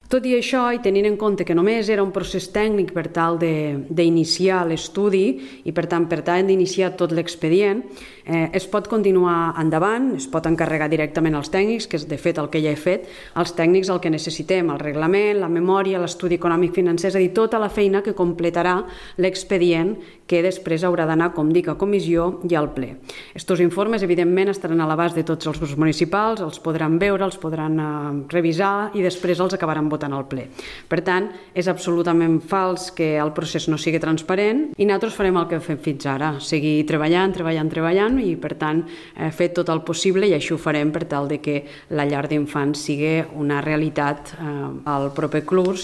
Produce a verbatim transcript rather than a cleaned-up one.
Tot i això, i tenint en compte que només era un procés tècnic per tal d'iniciar l'estudi i per tant per tant d'iniciar tot l'expedient, eh, es pot continuar endavant, es pot encarregar directament als tècnics, que és de fet el que ja he fet, als tècnics el que necessitem, el reglament, la memòria, l'estudi econòmic financer, és a dir, tota la feina que completarà l'expedient que després haurà d'anar, com dic, a comissió i al ple. Estos informes, evidentment, estaran a l'abast de tots els grups municipals, els podran veure, els podran eh, revisar i després els acabaran votant al ple. Per tant, és absolutament fals que el procés no sigui transparent i nosaltres farem el que hem fet fins ara, seguir treballant, treballant, treballant i, per tant, eh, fer tot el possible i així ho farem per tal de que la llar d'infants sigui una realitat eh, al proper curs.